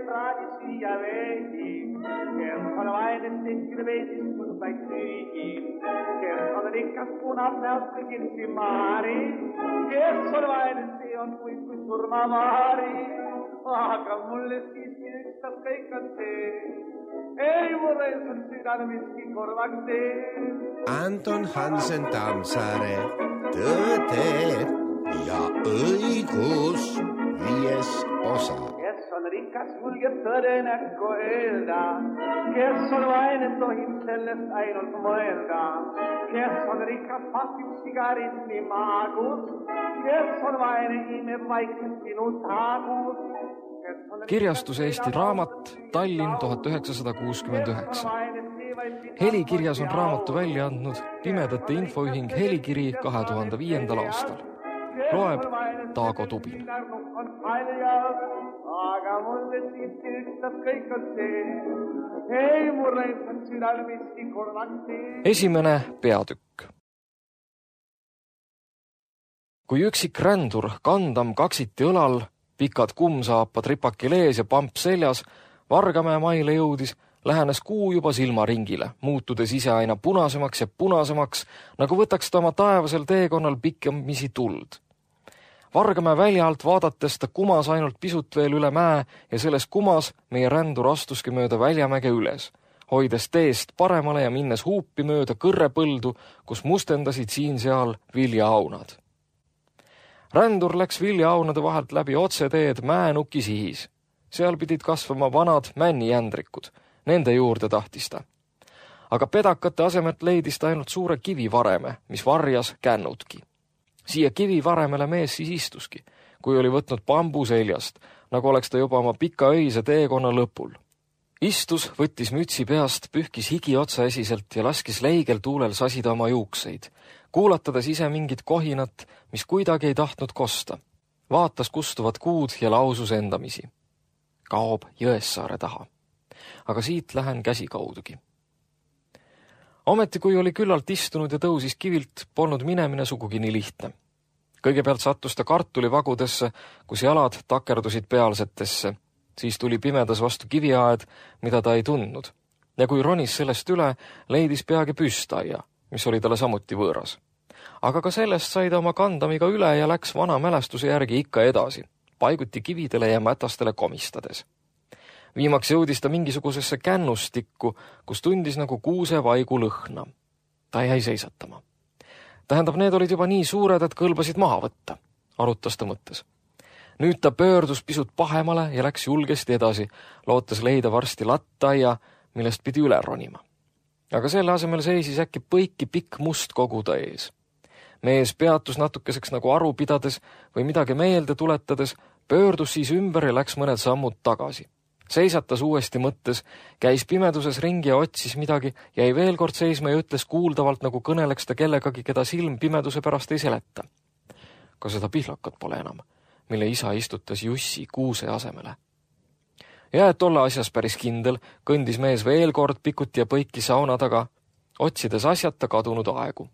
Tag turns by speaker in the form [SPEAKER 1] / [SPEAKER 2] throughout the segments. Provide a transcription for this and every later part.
[SPEAKER 1] praadi süüa veidi, kes on vaene tehtil veidis mõndaid süügi, kes on rikas punab näost kõigilsi maari, kes on vaene see on kui surmamaari, aga mulle siiski ükstas kõik on see, ei mulle on südame miski korvaks tee.
[SPEAKER 2] Anton Hansen Tammsaare, Tõde ja õigus 5. osa.
[SPEAKER 1] Kes on rikas, julgeb tõde näkku öelda, kes on vaene, tohib sellest ainult mõelda, kes on rikas, pasib sigaretti maagus, kes on vaene, imeb vaikselt sinu taagus.
[SPEAKER 3] Kirjastus Eesti Raamat, Tallinn 1969. Helikirjas on raamatu välja andnud Pimedate Infoühing Helikiri 2005. aastal. Loeb Taago Tubin.
[SPEAKER 1] Aga mulle siiski ükstas kõik on see, ei mulle on südal miski korvaks tee.
[SPEAKER 3] Esimene peatükk. Kui üksik rändur kandam kaksiti õlal, pikad kummsaapad ripakil ees ja pamp seljas, Vargamäe maile jõudis, lähenes kuu juba silmaringile, muutudes ise aina punasemaks ja punasemaks, nagu võtaks ta oma taevasel teekonnal pikemisi tuld. Vargamäe välja alt vaadates ta kumas ainult pisut veel üle mäe ja selles kumas meie rändur astuski mööda Väljamäge üles, hoides teest paremale ja minnes huupi mööda kõrrepõldu, kus mustendasid siin-seal viljaaunad. Rändur läks viljaaunade vahelt läbi otseteed mäenuki sihis. Seal pidid kasvama vanad männijändrikud. Nende juurde tahtis ta. Aga pedakate asemelt leidis ta ainult suure kivivareme, mis varjas kännutki. Siia kivivaremele mees siis istuski, kui oli võtnud bambu seljast, nagu oleks ta juba oma pika öise teekonna lõpul. Istus, võttis mütsi peast, pühkis higi otsaesiselt ja laskis leigel tuulel sasida oma juukseid, kuulatades ise mingit kohinat, mis kuidagi ei tahtnud kosta. Vaatas kustuvat kuud ja lausus endamisi. Kaob Jõessaare taha. Aga siit lähen käsikaudugi. Ometi, kui oli küllalt istunud ja tõusis kivilt, polnud minemine sugugi nii lihtne. Kõigepealt sattus ta kartulivagudesse, kus jalad takerdusid pealsetesse. Siis tuli pimedas vastu kiviaed, mida ta ei tundnud. Ja kui ronis sellest üle, leidis peagi püstaia, mis oli talle samuti võõras. Aga ka sellest sai ta oma kandamiga üle ja läks vana mälestuse järgi ikka edasi, paiguti kividele ja mätastele komistades. Viimaks jõudis ta mingisugusesse kännustikku, kus tundis nagu kuuse vaigu lõhna. Ta jäi seisatama. Tähendab, need olid juba nii suured, et kõlbasid maha võtta, arutas ta mõttes. Nüüd ta pöördus pisut pahemale ja läks julgesti edasi, lootes leida varsti lattaia, millest pidi üle ronima. Aga selle asemel seisis äkki põiki pikk must koguda ees. Mees peatus natukeseks nagu aru pidades või midagi meelde tuletades, pöördus siis ümber ja läks mõned sammud tagasi. Seisatas uuesti mõttes, käis pimeduses ringi ja otsis midagi, jäi veel kord seisma ja ütles kuuldavalt, nagu kõneleks ta kellegagi, keda silm pimeduse pärast ei seleta. Ka seda pihlakat pole enam, mille isa istutas Jussi kuuse asemele. Ja et olla asjas päris kindel, kõndis mees veel kord pikuti ja põiki sauna taga, otsides asjata kadunud aegu.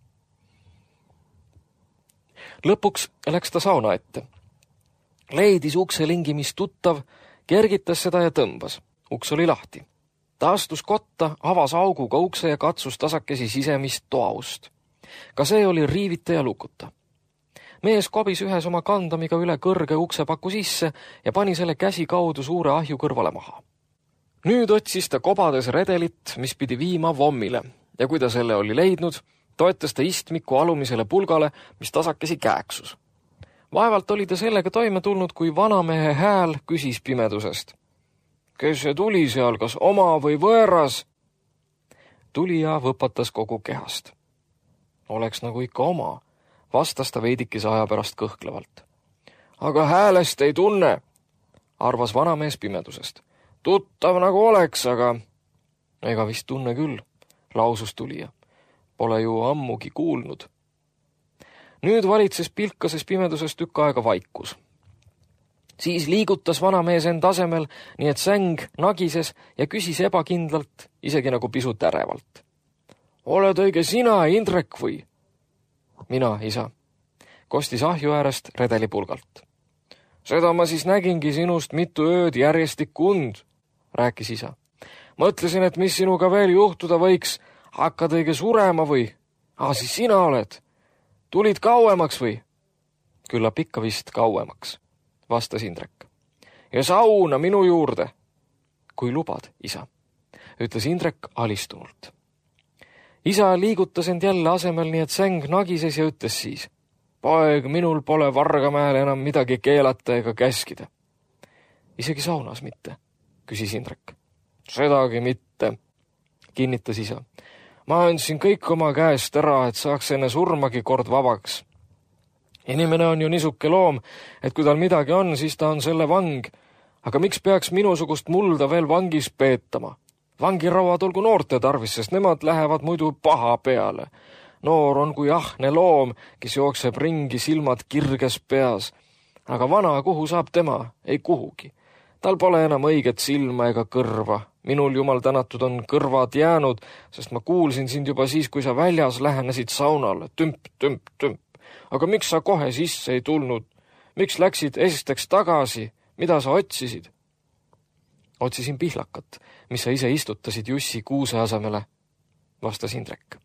[SPEAKER 3] Lõpuks läks ta sauna ette. Leidis ukselingi, mis tuttav, kergitas seda ja tõmbas. Uks oli lahti. Ta astus kotta, avas auguga ukse ja katsus tasakesi sisemist toaust. Ka see oli riivita ja lukuta. Mees kobis ühes oma kandamiga üle kõrge uksepaku sisse ja pani selle käsi kaudu suure ahju kõrvale maha. Nüüd otsis ta kobades redelit, mis pidi viima vommile, ja kui ta selle oli leidnud, toetas ta istmiku alumisele pulgale, mis tasakesi kääksus. Vaevalt oli ta sellega toime tulnud, kui vanamehe hääl küsis pimedusest. Kes see tuli seal, kas oma või võõras? Tulija võpatas kogu kehast. Oleks nagu ikka oma, vastas ta veidikese aja pärast kõhklevalt. Aga häälest ei tunne, arvas vanamees pimedusest. Tuttav nagu oleks, aga... Ega vist tunne küll, lausus tulija. Pole ju ammugi kuulnud. Nüüd valitses pilkases pimeduses tükk aega vaikus. Siis liigutas vanamees end asemel, nii et säng nagises ja küsis ebakindlalt, isegi nagu pisut ärevalt. Oled õige sina, Indrek, või? Mina, isa, kostis ahju äärest redelipulgalt. Seda ma siis nägingi sinust mitu ööd järjestikku und, rääkis isa. Mõtlesin, et mis sinuga veel juhtuda võiks, hakkad õige surema või? Siis sina oled. Tulid kauemaks või? Küllap ikka vist kauemaks, vastas Indrek. Ja sauna minu juurde. Kui lubad, isa, ütles Indrek alistunult. Isa liigutas end jälle asemel, nii et säng nagises ja ütles siis. Poeg, minul pole Vargamäel enam midagi keelata ega käskida. Isegi saunas mitte, küsis Indrek. Sedagi mitte, kinnitas isa. Ma andsin kõik oma käest ära, et saaks enne surmagi kord vabaks. Inimene on ju nisuke loom, et kui tal midagi on, siis ta on selle vang. Aga miks peaks minusugust mulda veel vangis peetama? Vangirauad olgu noorte tarvis, sest nemad lähevad muidu paha peale. Noor on kui ahne loom, kes jookseb ringi silmad kirges peas. Aga vana, kuhu saab tema? Ei kuhugi. Tal pole enam õiget silma ega kõrva. Minul jumal tänatud on kõrvad jäänud, sest ma kuulsin sind juba siis, kui sa väljas lähenesid saunale. Tümp, tümp, tümp. Aga miks sa kohe sisse ei tulnud? Miks läksid esiteks tagasi? Mida sa otsisid? Otsisin pihlakat, mis sa ise istutasid Jussi kuuse asemele, vastas Indrek.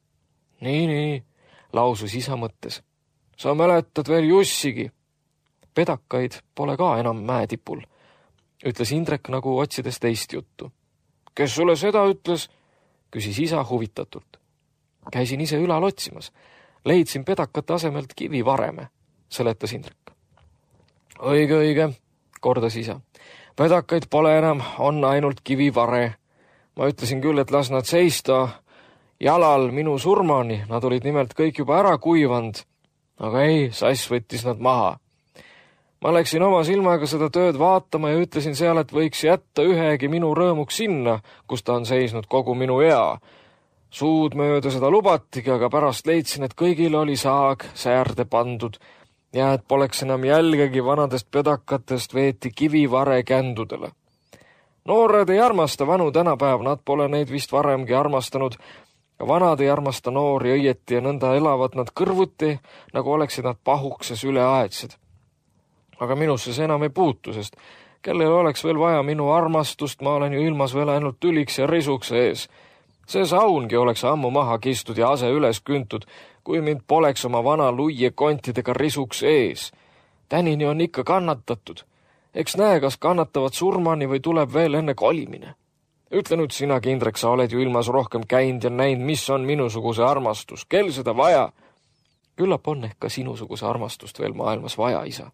[SPEAKER 3] Nii, lausus isa mõttes. Sa mäletad veel Jussigi. Pedakaid pole ka enam mäetipul, ütles Indrek nagu otsides teist juttu. Kes sulle seda ütles? Küsis isa huvitatult. Käisin ise ülal otsimas. Leidsin pedakate asemelt kivivareme, seletas Indrek. Õige, kordas isa. Pedakaid pole enam, on ainult kivivare. Ma ütlesin küll, et las nad seista jalal minu surmani, nad olid nimelt kõik juba ära kuivanud. Aga ei, sass võttis nad maha. Ma läksin oma silmaga seda tööd vaatama ja ütlesin seal, et võiks jätta ühegi minu rõõmuks sinna, kus ta on seisnud kogu minu ea. Suud mööda seda lubatigi, aga pärast leidsin, et kõigil oli saag säärde pandud ja et poleks enam jälgegi vanadest pedakatest veeti kivivare kändudele. Noored ei armasta vanu tänapäev, nad pole neid vist varemgi armastanud. Vanad ei armasta noori õieti ja nõnda elavad nad kõrvuti, nagu oleksid nad pahukses üleaedsed. Aga minusse see enam ei puutu, sest kellel oleks veel vaja minu armastust, ma olen ju ilmas veel ainult tüliks ja risuks ees. See saungi oleks ammu maha kistud ja ase üles küntud, kui mind poleks oma vana luie kontidega risuks ees. Tänini on ikka kannatatud. Eks näe, kas kannatavad surmani või tuleb veel enne kolimine. Ütle nüüd sinagi, Indrek, sa oled ju ilmas rohkem käinud ja näinud, mis on minusuguse armastus. Kel seda vaja? Küllap on ehk ka sinusuguse armastust veel maailmas vaja, isa,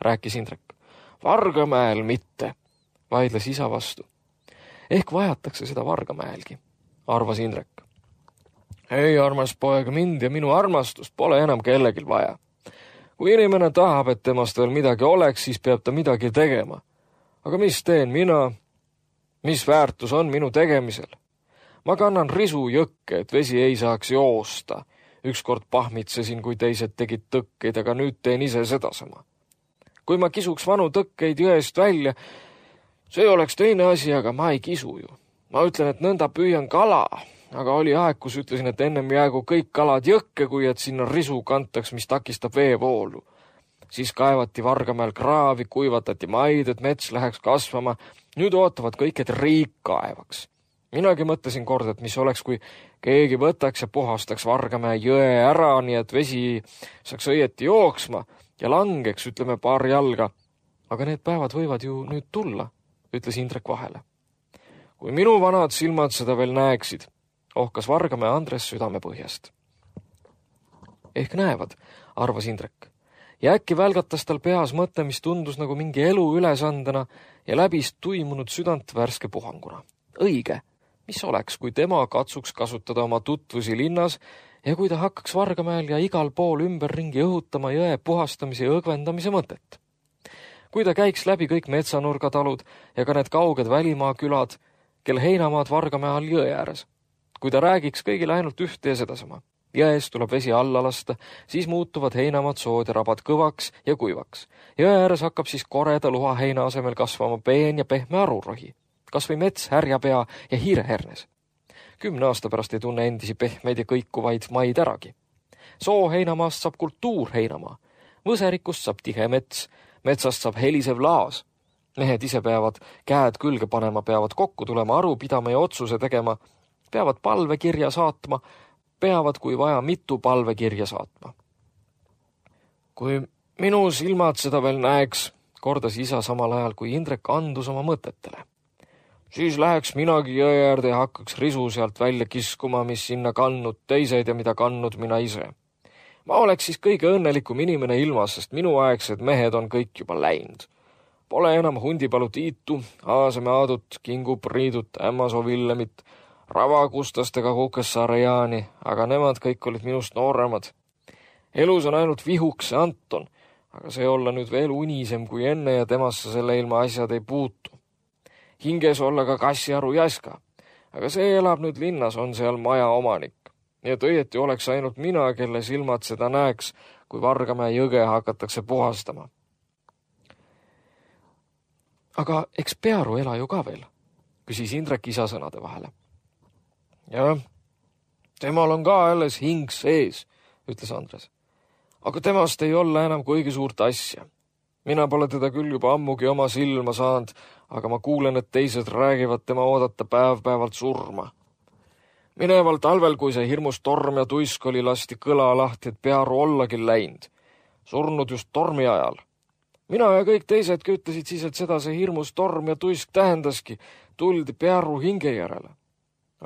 [SPEAKER 3] rääkis Indrek. Vargamäel mitte, vaidles isa vastu. Ehk vajatakse seda Vargamäelgi, arvas Indrek. Ei, armas poeg, mind ja minu armastust pole enam kellegil vaja. Kui inimene tahab, et temast veel midagi oleks, siis peab ta midagi tegema. Aga mis teen mina? Mis väärtus on minu tegemisel? Ma kannan risu jõkke, et vesi ei saaks joosta. Ükskord pahmitsesin, kui teised tegid tõkkeid, aga nüüd teen ise sedasama. Kui ma kisuks vanu tõkkeid jõest välja, see oleks teine asi, aga ma ei kisu ju. Ma ütlen, et nõnda püüan kala, aga oli aeg, kus ütlesin, et ennem jäägu kõik kalad jõkke, kui et sinna risu kantaks, mis takistab veevoolu. Siis kaevati Vargamäel kraavi, kuivatati maid, et mets läheks kasvama. Nüüd ootavad kõik, et riik kaevaks. Minagi mõtlesin kord, et mis oleks, kui keegi võtaks ja puhastaks Vargamäe jõe ära, nii et vesi saaks õieti jooksma ja langeks, ütleme, paar jalga. Aga need päevad võivad ju nüüd tulla, ütles Indrek vahele. Kui minu vanad silmad seda veel näeksid, ohkas Vargamäe Andres südamepõhjast. Ehk näevad, arvas Indrek. Ja äkki välgatas tal peas mõte, mis tundus nagu mingi elu ülesandena ja läbis tuimunud südant värske puhanguna. Õige, mis oleks, kui tema katsuks kasutada oma tutvusi linnas ja kui ta hakkaks Vargamäel ja igal pool ümberringi õhutama jõe puhastamise ja õgvendamise mõtet. Kui ta käiks läbi kõik metsanurgatalud ja ka need kauged välimaa külad, kel heinamaad Vargamäe all jõe ääres. Kui ta räägiks kõigile ainult ühte ja sedasama. Jões tuleb vesi alla lasta, siis muutuvad heinamaad sood ja rabad kõvaks ja kuivaks. Jõe ääres hakkab siis koreda luha heina asemel kasvama peen ja pehme arurohi. Kas või mets, härjapea ja hiirehernes. 10 aasta pärast ei tunne endisi pehmeid ja kõikuvaid maid äragi. Soo heinamaast saab kultuur heinamaa. Võserikust saab tihe mets. Metsast saab helisev laas. Mehed ise peavad käed külge panema, peavad kokku tulema, aru pidama ja otsuse tegema, peavad palvekirja saatma, peavad kui vaja mitu palvekirja saatma. Kui minu silmad seda veel näeks, kordas isa samal ajal, kui Indrek andus oma mõtetele. Siis läheks minagi jõe äärde ja hakkaks risu sealt välja kiskuma, mis sinna kannud teised ja mida kannud mina ise. Ma oleks siis kõige õnnelikum inimene ilmas, sest minuaegsed mehed on kõik juba läinud. Pole enam Hundipalu Tiitu, Aaseme Aadut, Kingu Priidut, Ämmasoo Villemit, Ravakustastega Kukessaare Jaani, aga nemad kõik olid minust nooremad. Elus on ainult Vihuks ja Anton, aga see olla nüüd veel unisem kui enne ja temasse selle ilma asjad ei puutu. Hinges olla ka Kassiaru Jaska, aga see elab nüüd linnas, on seal maja omanik. Nii et õieti oleks ainult mina, kelle silmad seda näeks, kui Vargamäe jõge hakatakse puhastama. Aga eks Pearu ela ju ka veel, küsis Indrek isa sõnade vahele. Jah, temal on ka alles hing sees, ütles Andres. Aga temast ei olla enam kuigi suurt asja. Mina pole teda küll juba ammugi oma silma saanud, aga ma kuulen, et teised räägivad tema oodata päev-päevalt surma. Mineval talvel, kui see hirmus torm ja tuisk oli, lasti kõla lahti, et Pearu ollagi läinud. Surnud just tormi ajal. Mina ja kõik teisedki ütlesid siis, et seda see hirmus torm ja tuisk tähendaski, tuldi Pearu hinge järele.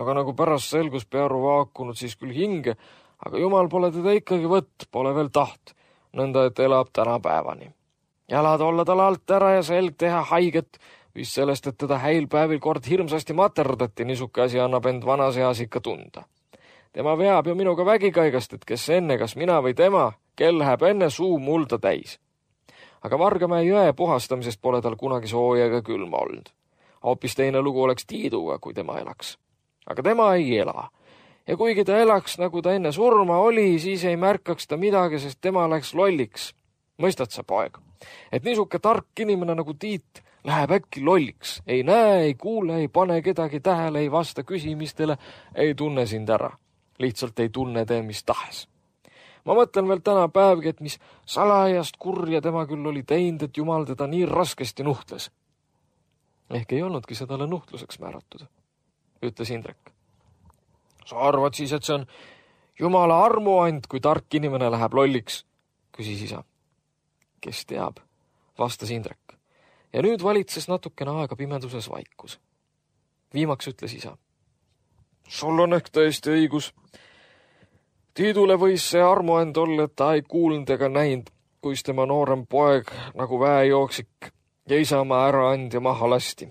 [SPEAKER 3] Aga nagu pärast selgus Pearu vaakunud siis küll hinge, aga jumal pole teda ikkagi võtt, pole veel taht, nõnda et elab tänapäevani. Jalad olla tal alt ära ja selg teha haiget, vist sellest, et teda häilpäevil kord hirmsasti materdati, niisuke asi annab end vanas eas ikka tunda. Tema veab ju minuga vägikaigast, et kes enne, kas mina või tema, kel läheb enne suu mulda täis. Aga Vargamäe jõe puhastamisest pole tal kunagi sooja ega külma olnud. Hoopis teine lugu oleks Tiiduga, kui tema elaks. Aga tema ei ela. Ja kuigi ta elaks, nagu ta enne surma oli, siis ei märkaks ta midagi, sest tema läks lolliks. Mõistad sa, poeg? Et niisuke tark inimene nagu Tiit läheb äkki lolliks. Ei näe, ei kuule, ei pane kedagi tähele, ei vasta küsimistele, ei tunne sind ära. Lihtsalt ei tunne tee mis tahes. Ma mõtlen veel täna päevgi, et mis salajast kurja tema küll oli teinud, et jumal teda nii raskesti nuhtles. Ehk ei olnudki seda nuhtluseks määratud, ütles Indrek. Sa arvad siis, et see on jumala armuand, kui tark inimene läheb lolliks, küsis isa. Kes teab, vastas Indrek. Ja nüüd valitses natukene aega pimeduses vaikus. Viimaks ütles isa. Sul on ehk tõesti õigus. Tiidule võis see armuand olla, et ta ei kuulnud ega näinud, kuis tema noorem poeg nagu väejooksik ja isamaa ära andja maha lasti.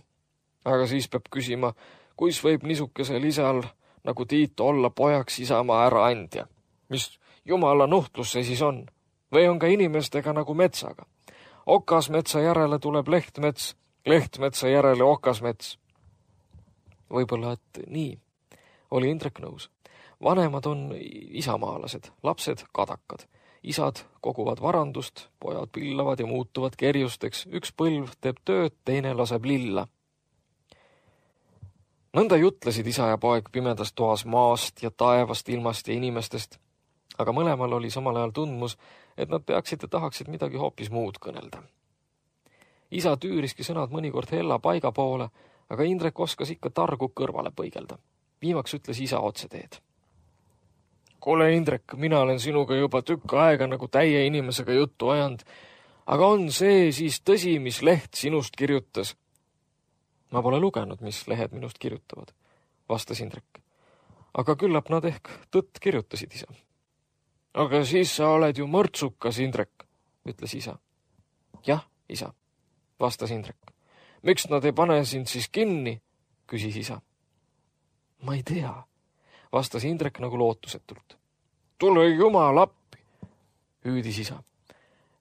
[SPEAKER 3] Aga siis peab küsima, kuis võib niisukesel isal nagu Tiit olla pojaks isamaa ära andja. Mis jumala nuhtlus see siis on? Või on ka inimestega nagu metsaga? Okasmetsa järele tuleb lehtmets, lehtmetsa järele okasmets. Võib-olla, et nii, oli Indrek nõus. Vanemad on isamaalased, lapsed kadakad. Isad koguvad varandust, pojad pillavad ja muutuvad kerjusteks. Üks põlv teeb tööd, teine laseb lilla. Nõnda jutlesid isa ja poeg pimedas toas maast ja taevast, ilmast ja inimestest. Aga mõlemal oli samal ajal tundmus, et nad peaksid ja tahaksid midagi hoopis muud kõnelda. Isa tüüriski sõnad mõnikord hella paiga poole, aga Indrek oskas ikka targu kõrvale põigelda. Viimaks ütles isa otseteed. Kuule, Indrek, mina olen sinuga juba tükk aega nagu täie inimesega juttu ajanud, aga on see siis tõsi, mis leht sinust kirjutas? Ma pole lugenud, mis lehed minust kirjutavad, vastas Indrek. Aga küllap nad ehk tõtt kirjutasid, isa. Aga siis sa oled ju mõrtsukas, Indrek, ütles isa. Jah, isa, vastas Indrek. Miks nad ei pane sind siis kinni, küsis isa. Ma ei tea, vastas Indrek nagu lootusetult. Tule jumal appi, hüüdis isa.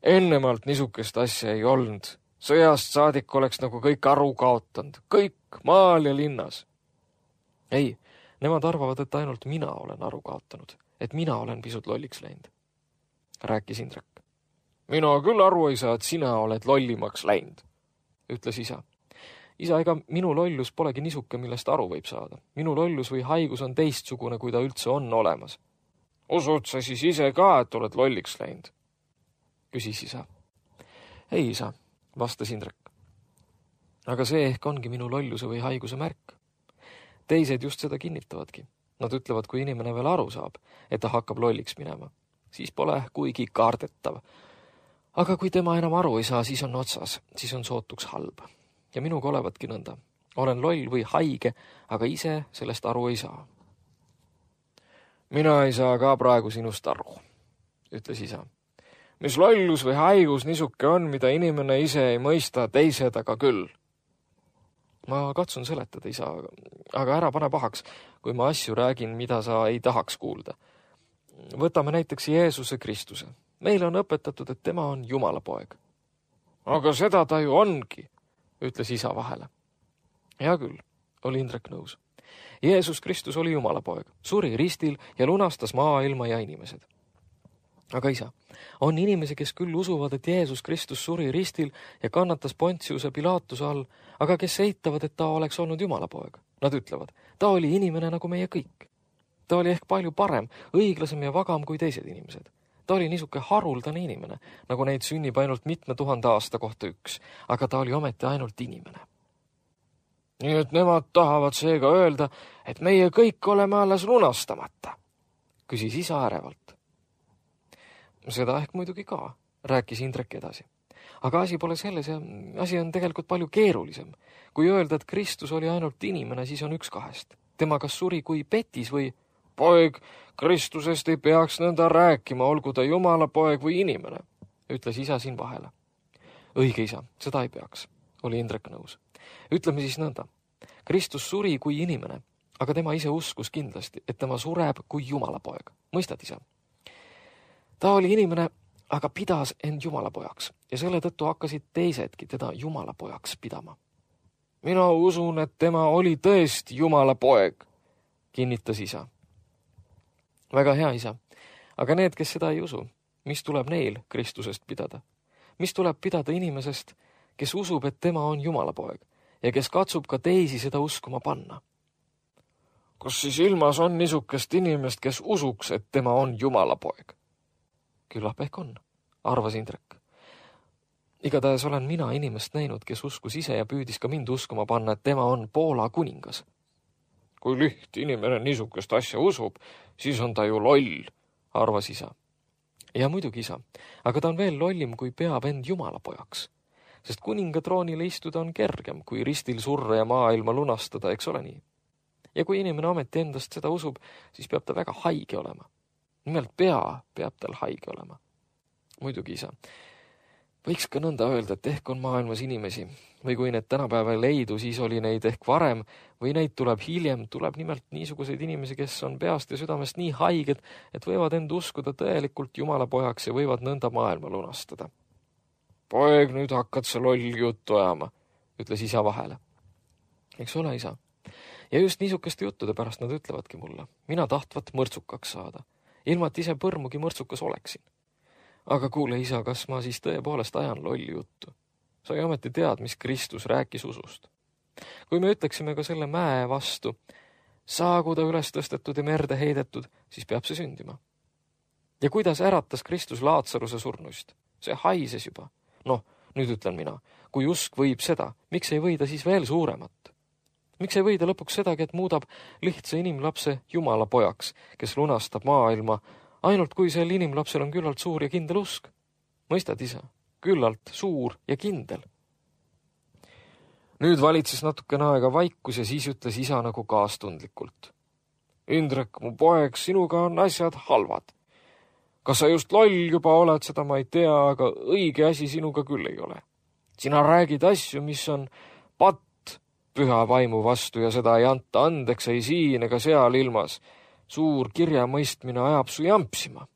[SPEAKER 3] Ennemalt niisugust asja ei olnud. Sõjast saadik oleks nagu kõik aru kaotanud. Kõik maal ja linnas. Ei, nemad arvavad, et ainult mina olen aru kaotanud. Et mina olen pisut lolliks läinud, rääkis Indrek. Mina küll aru ei saa, et sina oled lollimaks läinud, ütles isa. Isa, ega minu lollus polegi niisuke, millest aru võib saada. Minu lollus või haigus on teistsugune, kui ta üldse on olemas. Usud sa siis ise ka, et oled lolliks läinud? Küsis isa. ei, isa, vastas Indrek. Aga see ehk ongi minu lolluse või haiguse märk. Teised just seda kinnitavadki. Nad ütlevad, kui inimene veel aru saab, et ta hakkab lolliks minema, siis pole kuigi kaardetav. Aga kui tema enam aru ei saa, siis on otsas, siis on sootuks halb. Ja minuga olevatki nõnda. Olen loll või haige, aga ise sellest aru ei saa. Mina ei saa ka praegu sinust aru, ütles isa. Mis lollus või haigus niisuke on, mida inimene ise ei mõista, teised aga küll. Ma katsun seletada, isa, aga ära pane pahaks, kui ma asju räägin, mida sa ei tahaks kuulda. Võtame näiteks Jeesuse Kristuse. Meile on õpetatud, et tema on Jumala poeg. Aga seda ta ju ongi, ütles isa vahele. Hea küll, oli Indrek nõus. Jeesus Kristus oli Jumala poeg, suri ristil ja lunastas maailma ja inimesed. Aga isa, on inimesi, kes küll usuvad, et Jeesus Kristus suri ristil ja kannatas Pontiuse Pilatuse all, aga kes eitavad, et ta oleks olnud Jumala poeg. Nad ütlevad, ta oli inimene nagu meie kõik. Ta oli ehk palju parem, õiglasem ja vagam kui teised inimesed. Ta oli niisuke haruldane inimene, nagu neid sünnib ainult mitme 1000 aasta kohta üks, aga ta oli ometi ainult inimene. Nii et nemad tahavad seega öelda, et meie kõik oleme alles lunastamata, küsis isa ärevalt. Seda ehk muidugi ka, rääkis Indrek edasi. Aga asi pole selles ja asi on tegelikult palju keerulisem. Kui öelda, et Kristus oli ainult inimene, siis on üks kahest. Tema kas suri kui petis või poeg, Kristusest ei peaks nõnda rääkima, olgu ta Jumala poeg või inimene, ütles isa siin vahele. Õige isa, seda ei peaks, oli Indrek nõus. Ütleme siis nõnda. Kristus suri kui inimene, aga tema ise uskus kindlasti, et tema sureb kui Jumala poeg. Mõistad, isa? Ta oli inimene, aga pidas end Jumala pojaks ja selle tõttu hakkasid teisedki teda Jumala pojaks pidama. Mina usun, et tema oli tõesti Jumala poeg, kinnitas isa. Väga hea, isa. Aga need, kes seda ei usu, mis tuleb neil Kristusest pidada? Mis tuleb pidada inimesest, kes usub, et tema on Jumala poeg ja kes katsub ka teisi seda uskuma panna? Kas siis ilmas on niisugust inimest, kes usuks, et tema on Jumala poeg? Küllap ehk on, arvas Indrek. Igatahes olen mina inimest näinud, kes uskus ise ja püüdis ka mind uskuma panna, et tema on Poola kuningas. Kui liht inimene niisugust asja usub, siis on ta ju loll, arvas isa. Ja muidugi isa, aga ta on veel lollim, kui peab end Jumala pojaks. Sest kuninga troonile istuda on kergem, kui ristil surra ja maailma lunastada, eks ole nii. Ja kui inimene ometi endast seda usub, siis peab ta väga haige olema. Nimelt peab tal haige olema. Muidugi isa. Võiks ka nõnda öelda, et ehk on maailmas inimesi, või kui need tänapäeval leidu, siis oli neid ehk varem, või neid tuleb hiljem, tuleb nimelt niisuguseid inimesi, kes on peast ja südamest nii haiged, et võivad end uskuda tõelikult Jumala pojaks ja võivad nõnda maailma lunastada. Poeg, nüüd hakkad sa lolli juttu ajama, ütles isa vahele. Eks ole, isa. Ja just niisugeste juttude pärast nad ütlevadki mulle. Mina tahtvat mõrtsukaks saada. Ilma, et ise põrmugi mõrtsukas oleksin. Aga kuule, isa, kas ma siis tõepoolest ajan lolli juttu? Sa ei ometi tead, mis Kristus rääkis usust. Kui me ütleksime ka selle mäe vastu, saagu ta üles tõstetud ja merde heidetud, siis peab see sündima. Ja kuidas äratas Kristus Laatsaruse surnuist? See haises juba. Noh, nüüd ütlen mina, kui usk võib seda, miks ei või ta siis veel suuremat? Miks ei või ta lõpuks sedagi, et muudab lihtsa inimlapse Jumala pojaks, kes lunastab maailma, ainult kui sel inimlapsel on küllalt suur ja kindel usk? Mõistad, isa? Küllalt suur ja kindel. Nüüd valitses natukene aega vaikus ja siis ütles isa nagu kaastundlikult. Indrek, mu poeg, sinuga on asjad halvad. Kas sa just loll juba oled, seda ma ei tea, aga õige asi sinuga küll ei ole. Sina räägid asju, mis on patt püha vaimu vastu ja seda ei anta andeks ei siin ega seal ilmas. Suur kirjamõistmine ajab su jampsima.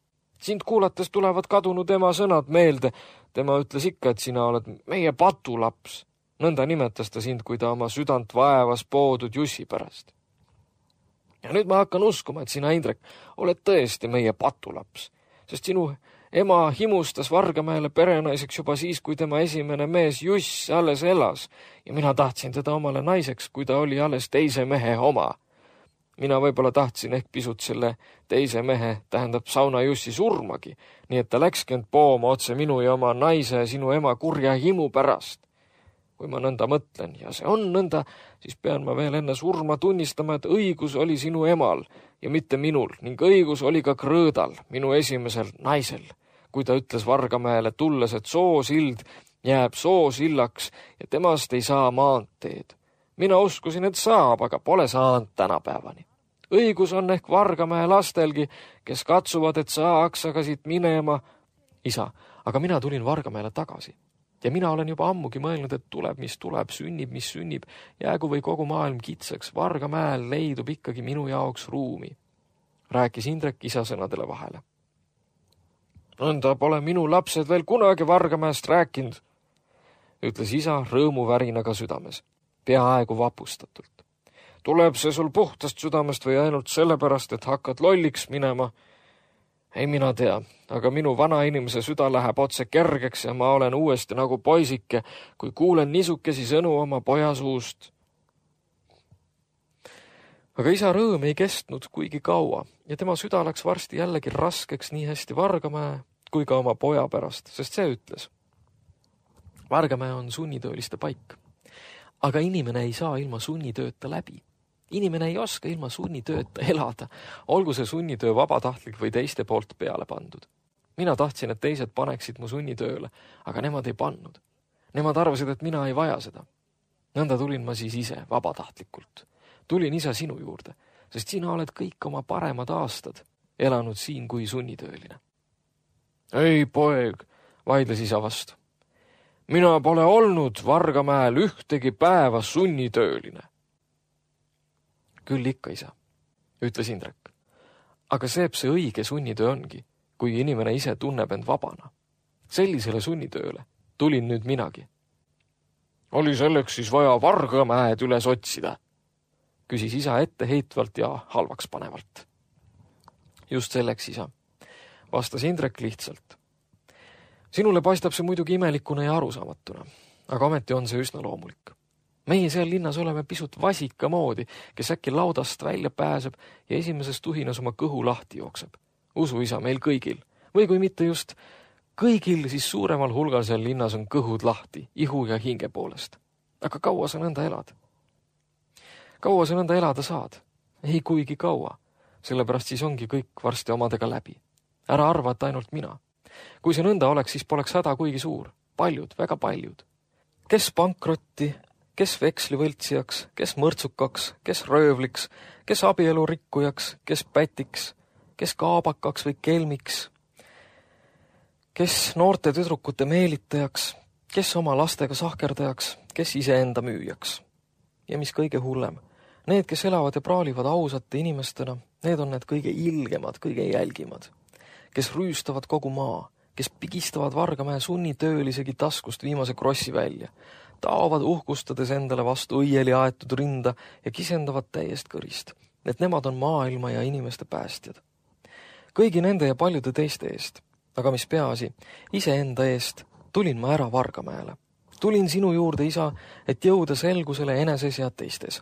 [SPEAKER 3] Sind kuulates tulevad kadunud ema sõnad meelde. Tema ütles ikka, et sina oled meie patulaps. Nõnda nimetas ta sind, kui ta oma südant vaevas poodud Jussi pärast. Ja nüüd ma hakkan uskuma, et sina, Indrek, oled tõesti meie patulaps, sest sinu ema himustas Vargamäele perenaiseks juba siis, kui tema esimene mees Juss alles elas ja mina tahtsin teda omale naiseks, kui ta oli alles teise mehe oma. Mina võib-olla tahtsin ehk pisut selle teise mehe, tähendab Sauna Jussi surmagi, nii et ta läkski end pooma otse minu ja oma naise ja sinu ema kurja himu pärast. Kui ma nõnda mõtlen ja see on nõnda, siis pean ma veel enne surma tunnistama, et õigus oli sinu emal ja mitte minul ning õigus oli ka Krõõdal, minu esimesel naisel, kui ta ütles Vargamäele tulles, et soosild jääb soosillaks ja temast ei saa maanteed. Mina uskusin, et saab, aga pole saanud tänapäevani. Õigus on ehk Vargamäe lastelgi, kes katsuvad, et saaks aga siit minema. Isa, aga mina tulin Vargamäele tagasi. Ja mina olen juba ammugi mõelnud, et tuleb, mis sünnib, mis sünnib, jäägu või kogu maailm kitsaks, Vargamäel leidub ikkagi minu jaoks ruumi, rääkis Indrek isa sõnadele vahele. Nõnda pole minu lapsed veel kunagi Vargamäest rääkinud, ütles isa rõõmuvärinaga südames, peaaegu vapustatult. Tuleb see sul puhtast südamest või ainult sellepärast, et hakkad lolliks minema? Ei mina tea, aga minu vana inimese süda läheb otse kergeks ja ma olen uuesti nagu poisike, kui kuulen niisukesi sõnu oma poja suust. Aga isa rõõm ei kestnud kuigi kaua ja tema süda läks varsti jällegi raskeks nii hästi Vargamäe kui ka oma poja pärast, sest see ütles. Vargamäe on sunnitööliste paik, aga inimene ei saa ilma sunnitööta läbi. Inimene ei oska ilma sunnitööta elada, olgu see sunnitöö vabatahtlik või teiste poolt peale pandud. Mina tahtsin, et teised paneksid mu sunnitööle, aga nemad ei pannud. Nemad arvasid, et mina ei vaja seda. Nõnda tulin ma siis ise vabatahtlikult. Tulin isa sinu juurde, sest sina oled kõik oma paremad aastad elanud siin kui sunnitööline. Ei, poeg, vaidles isa vastu. Mina pole olnud Vargamäel ühtegi päeva sunnitööline. Küll ikka, isa, ütles Indrek. Aga see õige sunnitöö ongi, kui inimene ise tunneb end vabana. Sellisele sunnitööle tulin nüüd minagi. Oli selleks siis vaja Vargamäed üles otsida, küsis isa etteheitvalt ja halvaks panevalt. Just selleks, isa, vastas Indrek lihtsalt. Sinule paistab see muidugi imelikuna ja arusaamatuna, aga ometi on see üsna loomulik. Meie seal linnas oleme pisut vasika moodi, kes äkki laudast välja pääseb ja esimesest tuhinas oma kõhu lahti jookseb. Usu, isa, meil kõigil. Või kui mitte just kõigil, siis suuremal hulgal seal linnas on kõhud lahti, ihu ja hinge poolest. Aga kaua sa nõnda elad? Kaua sa nõnda elada saad? Ei kuigi kaua. Sellepärast siis ongi kõik varsti omadega läbi. Ära arva, et ainult mina. Kui see nõnda oleks, siis poleks häda kuigi suur. Paljud, väga paljud. Kes pankrotti, kes vekslivõltsijaks, kes mõrtsukaks, kes röövliks, kes abielu rikkujaks, kes pätiks, kes kaabakaks või kelmiks, kes noorte tüdrukute meelitajaks, kes oma lastega sahkerdajaks, kes iseenda müüjaks. Ja mis kõige hullem, need, kes elavad ja praalivad ausate inimestena, need on need kõige ilgemad, kõige jälgimad, kes rüüstavad kogu maa, kes pigistavad Vargamäe sunnitöölisegi taskust viimase krossi välja, taovad uhkustades endale vastu õieli aetud rinda ja kisendavad täiest kõrist, et nemad on maailma ja inimeste päästjad. Kõigi nende ja paljude teiste eest, aga mis peaasi, iseenda eest tulin ma ära Vargamäele. Tulin sinu juurde, isa, et jõuda selgusele eneses ja teistes.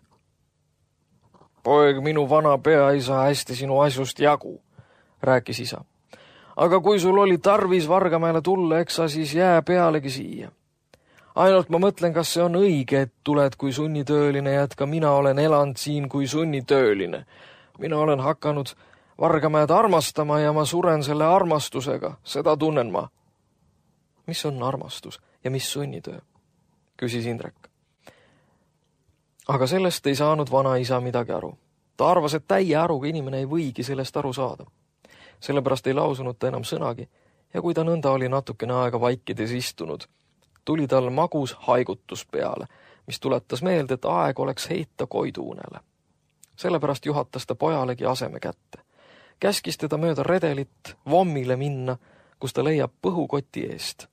[SPEAKER 3] Poeg, minu vana pea ei saa hästi sinu asjust jagu, rääkis isa. Aga kui sul oli tarvis Vargamäele tulla, eks sa siis jää pealegi siia. Ainult ma mõtlen, kas see on õige, et tuled kui sunnitööline ja et ka mina olen elanud siin kui sunnitööline. Mina olen hakanud Vargamäed armastama ja ma suren selle armastusega, seda tunnen ma. Mis on armastus ja mis sunnitöö? Küsis Indrek. Aga sellest ei saanud vana isa midagi aru. Ta arvas, et täie aruga inimene ei võigi sellest aru saada. Sellepärast ei lausunud ta enam sõnagi ja kui ta nõnda oli natukene aega vaikides istunud, tuli tal magus haigutus peale, mis tuletas meelde, et aeg oleks heita koiduunele. Sellepärast juhatas ta pojalegi aseme kätte. Käskis teda mööda redelit vommile minna, kus ta leiab põhukoti eest.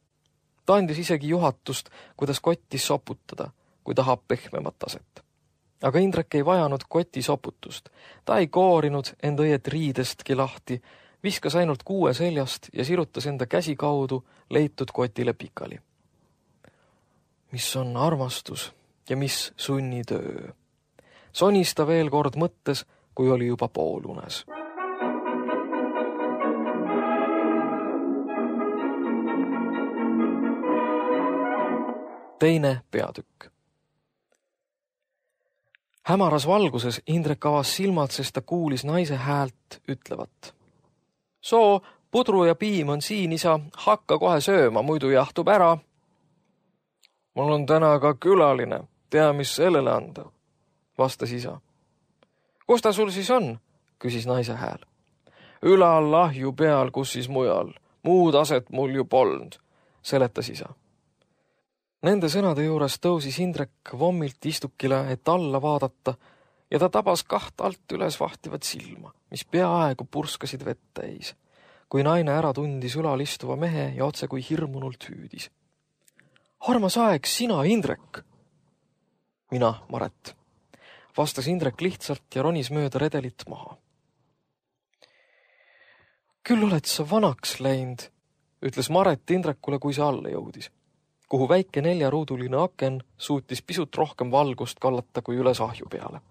[SPEAKER 3] Ta andis isegi juhatust, kuidas kotti soputada, kui tahab pehmemat aset. Aga Indrek ei vajanud koti soputust. Ta ei koorinud enda õiet riidestki lahti, viskas ainult kuue seljast ja sirutas enda käsi kaudu leitud kotile pikali. Mis on armastus ja mis sunnitöö? Sonis ta veel kord mõttes, kui oli juba poolunes. Teine peatükk. Hämaras valguses Indrek avas silmad, sest ta kuulis naise häält ütlevat. Soo, pudru ja piim on siin, isa, hakka kohe sööma, muidu jahtub ära. Mul on täna ka külaline, tea, mis sellele anda, vastas isa. Kus ta sul siis on? Küsis naise hääl. Ülal lahju peal, kus siis mujal, muud aset mul ju polnud, seletas isa. Nende sõnade juures tõusis Indrek vommilt istukile, et alla vaadata, ja ta tabas kaht alt üles vahtivat silma, mis peaaegu purskasid vett täis, kui naine ära tundis ülal istuva mehe ja otse kui hirmunult hüüdis. Armas aeg, sina, Indrek! Mina, Maret, vastas Indrek lihtsalt ja ronis mööda redelit maha. Küll oled sa vanaks läinud, ütles Maret Indrekule, kui see alla jõudis, kuhu väike 4-ruuduline aken suutis pisut rohkem valgust kallata kui üles ahju peale.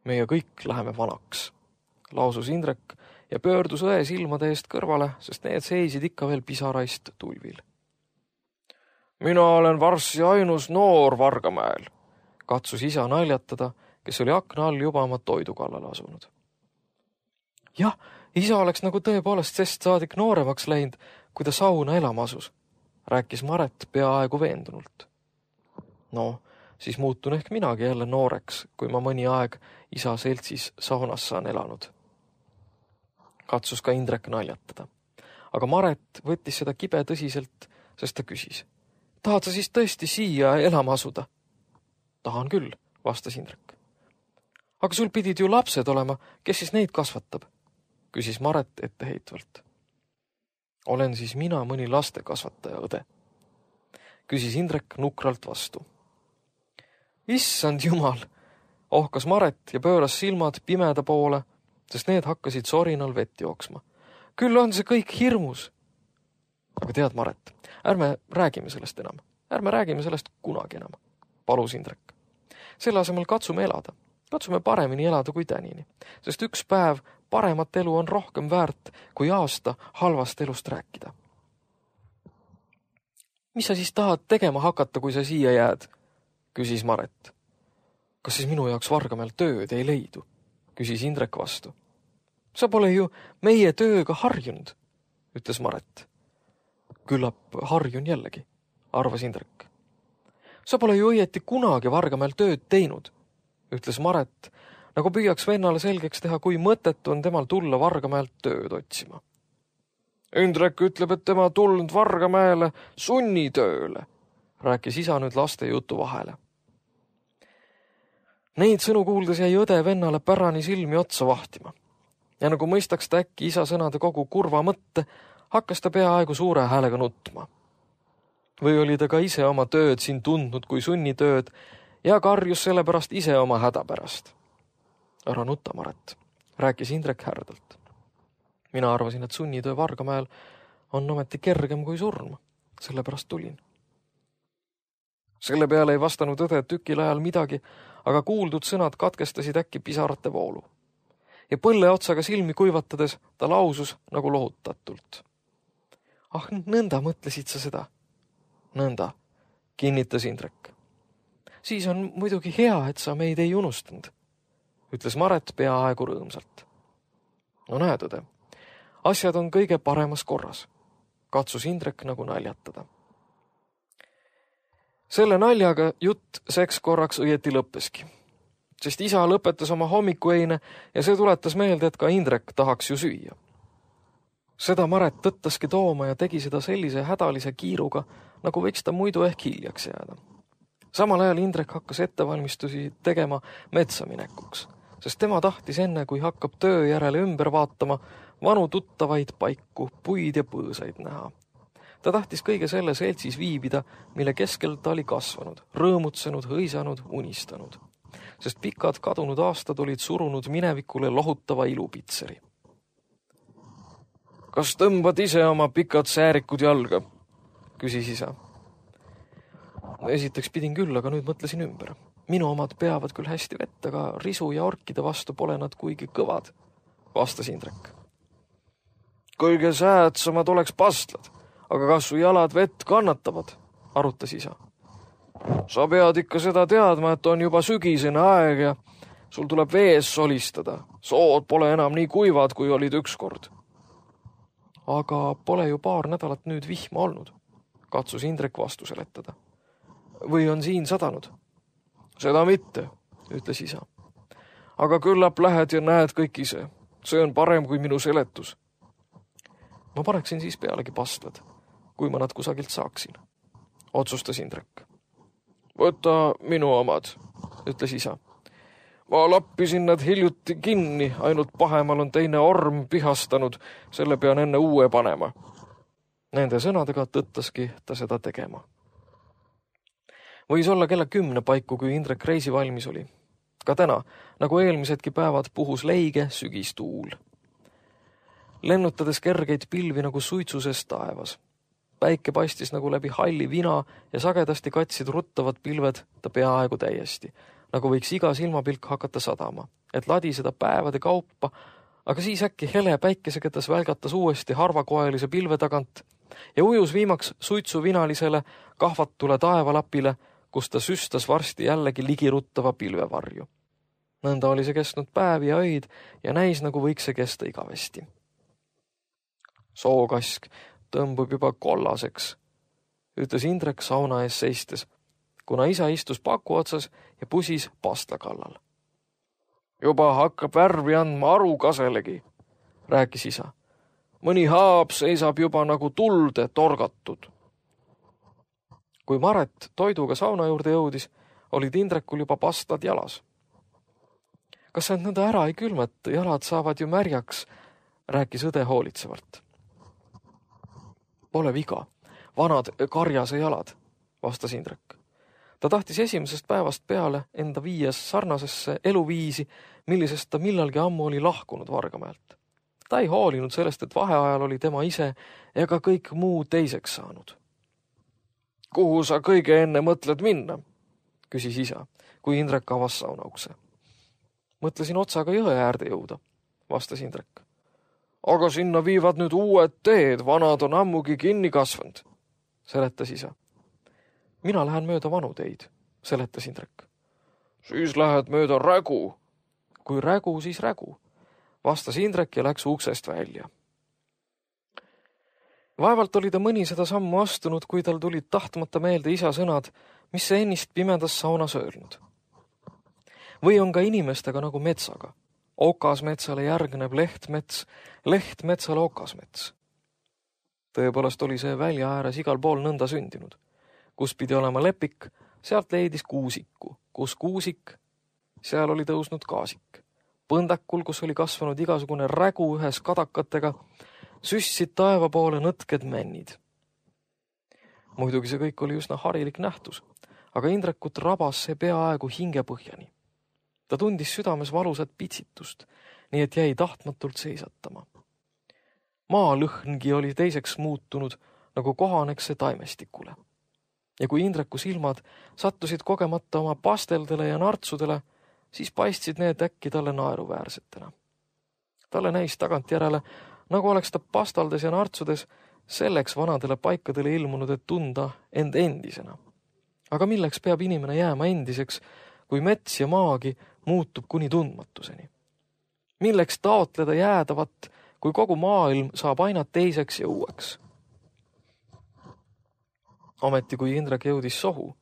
[SPEAKER 3] Meie kõik läheme vanaks, lausus Indrek ja pöördus õe silmade eest kõrvale, sest need seisid ikka veel pisaraist tulvil. Mina olen varsti ainus noor Vargamäel, katsus isa naljatada, kes oli akna all juba oma toidu kallale asunud. Jah, isa oleks nagu tõepoolest sest saadik nooremaks läinud, kui ta sauna elama asus, rääkis Maret peaaegu veendunult. No, siis muutun ehk minagi jälle nooreks, kui ma mõni aeg isa seltsis saunas saan elanud. Katsus ka Indrek naljatada. Aga Maret võttis seda kibe tõsiselt, sest ta küsis. Tahad sa siis tõesti siia elama asuda? Tahan küll, vastas Indrek. Aga sul pidid ju lapsed olema, kes siis neid kasvatab? Küsis Maret etteheitvalt. Olen siis mina mõni laste kasvataja õde? Küsis Indrek nukralt vastu. Issand jumal, ohkas Maret ja pööras silmad pimeda poole, sest need hakkasid sorinal vett jooksma. Küll on see kõik hirmus. Aga tead, Maret, ärme räägime sellest enam. Ärme räägime sellest kunagi enam, palus Indrek. Selle asemel katsume elada. Katsume paremini elada kui tänini, sest üks päev paremat elu on rohkem väärt kui aasta halvast elust rääkida. Mis sa siis tahad tegema hakata, kui sa siia jääd? Küsis Maret. Kas siis minu jaoks Vargamäel tööd ei leidu? Küsis Indrek vastu. Sa pole ju meie tööga harjunud, ütles Maret. Küllap harjun jällegi, arvas Indrek. Sa pole ju õieti kunagi Vargamäel tööd teinud, ütles Maret, nagu püüaks vennale selgeks teha, kui mõttetu on temal tulla Vargamäelt tööd otsima. Indrek ütleb, et tema tulnud Vargamäele sunnitööle, rääkis isa nüüd laste jutu vahele. Neid sõnu kuuldes jäi õde vennale pärani silmi otsa vahtima. Ja nagu mõistaks ta äkki isa sõnade kogu kurva mõtte, hakkas ta peaaegu suure häälega nutma. Või oli ta ka ise oma tööd siin tundnud kui sunnitööd ja karjus sellepärast ise oma häda pärast. Ära nutta, Maret, rääkis Indrek härdalt. Mina arvasin, et sunnitöö Vargamäel on ometi kergem kui surm, sellepärast tulin. Selle peale ei vastanud õde tükil ajal midagi, aga kuuldud sõnad katkestasid äkki pisarate voolu. Ja põlle otsaga silmi kuivatades ta lausus nagu lohutatult. Ah, nõnda mõtlesid sa seda? Nõnda, kinnitas Indrek. Siis on muidugi hea, et sa meid ei unustanud, ütles Maret peaaegu rõõmsalt. No näed, õde, asjad on kõige paremas korras, katsus Indrek nagu naljatada. Selle naljaga jutt seks korraks õieti lõppeski, sest isa lõpetas oma hommikueine ja see tuletas meelde, et ka Indrek tahaks ju süüa. Seda Maret tõttaski tooma ja tegi seda sellise hädalise kiiruga, nagu võiks ta muidu ehk hiljaks jääda. Samal ajal Indrek hakkas ettevalmistusi tegema metsa minekuks, sest tema tahtis enne, kui hakkab töö järele ümber vaatama, vanu tuttavaid paiku, puid ja põõsaid näha. Ta tahtis kõige selle seltsis viibida, mille keskel ta oli kasvanud, rõõmutsenud, hõisanud, unistanud, sest pikad kadunud aastad olid surunud minevikule lohutava ilupitseri. Kas tõmbad ise oma pikad säärikud jalga? Küsis isa. Esiteks pidin küll, aga nüüd mõtlesin ümber, Minu omad peavad küll hästi vett, aga risu ja orkide vastu pole nad kuigi kõvad, vastas Indrek. Kõige säädsamad oleks pastlad, aga kas su jalad vett kannatavad, arutas isa. Sa pead ikka seda teadma, et on juba sügisene aeg ja sul tuleb vees solistada. Sood pole enam nii kuivad, kui olid ükskord. Aga pole ju paar nädalat nüüd vihma olnud, katsus Indrek vastu seletada. Või on siin sadanud? Seda mitte, ütles isa. Aga küllap lähed ja näed kõik ise. See on parem kui minu seletus. Ma paneksin siis pealegi pastlad, kui ma nad kusagilt saaksin, otsustas Indrek. Võta minu omad, ütles isa. Ma lappisin nad hiljuti kinni, ainult pahemal on teine orm pihastanud, selle pean enne uue panema. Nende sõnadega tõttaski ta seda tegema. Võis olla kella 10 paiku, kui Indrek reisi valmis oli. Ka täna, nagu eelmisedki päevad, puhus leige sügistuul. Lennutades kergeid pilvi nagu suitsuses taevas. Päike paistis nagu läbi halli vina ja sagedasti katsid ruttavad pilved ta peaaegu täiesti, nagu võiks iga silmapilk hakata sadama, et ladiseda päevade kaupa, aga siis äkki hele päikeseketas välgatas uuesti harvakoelise pilve tagant ja ujus viimaks suitsuvinalisele kahvatule taevalapile, kus ta süstas varsti jällegi ligiruttava pilvevarju. Nõnda oli see kestnud päevi ja öid ja näis, nagu võiks see kesta igavesti. Sookask tõmbub juba kollaseks, ütles Indrek sauna ees seistes, kuna isa istus paku otsas ja pusis pastla kallal. Juba hakkab värvi andma arukaselegi, rääkis isa. Mõni haab seisab juba nagu tulde torgatud. Kui Maret toiduga sauna juurde jõudis, olid Indrekul juba pastlad jalas. Kas sa nõnda ära ei külmeta, jalad saavad ju märjaks, rääkis õde hoolitsevalt. Pole viga, vanad karjase jalad, vastas Indrek. Ta tahtis esimesest päevast peale enda viies sarnasesse eluviisi, millisest ta millalgi ammu oli lahkunud Vargamäelt. Ta ei hoolinud sellest, et vaheajal oli tema ise ega kõik muu teiseks saanud. Kuhu sa kõige enne mõtled minna? Küsis isa, kui Indrek avas saunaukse. Mõtlesin otsaga jõe äärde jõuda, vastas Indrek. Aga sinna viivad nüüd uued teed, vanad on ammugi kinni kasvanud, seletas isa. Mina lähen mööda vanu teid, seletas Indrek. Siis lähed mööda rägu. Kui rägu, siis rägu, vastas Indrek ja läks uksest välja. Vaevalt oli ta mõni seda sammu astunud, kui tal tulid tahtmata meelde isa sõnad, mis see ennist pimedas saunas öelnud. Või on ka inimestega nagu metsaga. Okasmetsale järgneb lehtmets, lehtmetsale okasmets. Tõepoolest oli see välja ääres igal pool nõnda sündinud. Kus pidi olema lepik, sealt leidis kuusiku. Kus kuusik, seal oli tõusnud kaasik. Põndakul, kus oli kasvanud igasugune rägu ühes kadakatega, süssid taeva poole nõtked männid. Muidugi see kõik oli üsna harilik nähtus, aga Indrekut rabas see peaaegu hingepõhjani. Ta tundis südames valusat pitsitust, nii et jäi tahtmatult seisatama. Maalõhngi oli teiseks muutunud, nagu kohaneks see taimestikule. Ja kui Indreku silmad sattusid kogemata oma pasteldele ja nartsudele, siis paistsid need äkki talle naeruväärsetena. Talle näis tagantjärele, nagu oleks ta pastaldes ja nartsudes selleks vanadele paikadele ilmunud, et tunda end endisena. Aga milleks peab inimene jääma endiseks, kui mets ja maagi muutub kuni tundmatuseni? Milleks taotleda jäädavat, kui kogu maailm saab aina teiseks ja uueks? Ometi kui Indrek jõudis sohu,